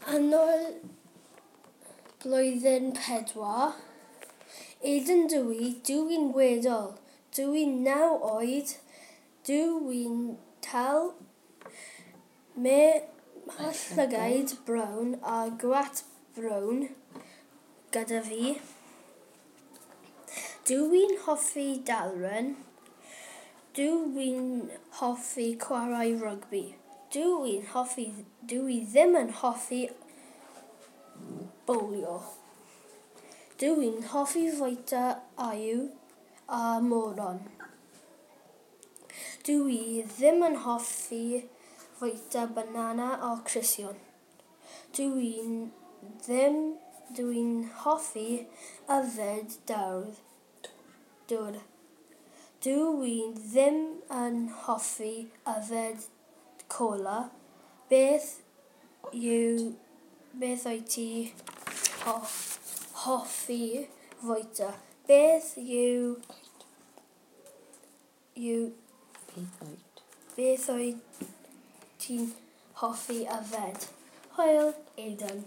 Annwyl blwyddyn 4. Eden dw i, dw i'n weddol. Dw i'n 9 oed, dw i'n tal, mae llygaid brown a gwallt brown gyda fi. Dw i'n hoffi darllen. Dw i'n hoffi chwarae rygbi. Dw i'n hoffi, dw i ddim yn hoffi bowlio. Dw i'n hoffi fwyta eirin a moron. Dw i ddim yn hoffi fwyta banana a cristion. Dw i'n ddim, dw i'n hoffi yfed dŵr. Dŵr. Dw i ddim yn hoffi yfed cola. Beth wyt ti hoffi fwyta? Beth yw, yw Beth wyt? Beth wyt ti'n hoffi yfed? Hwyl, Eden.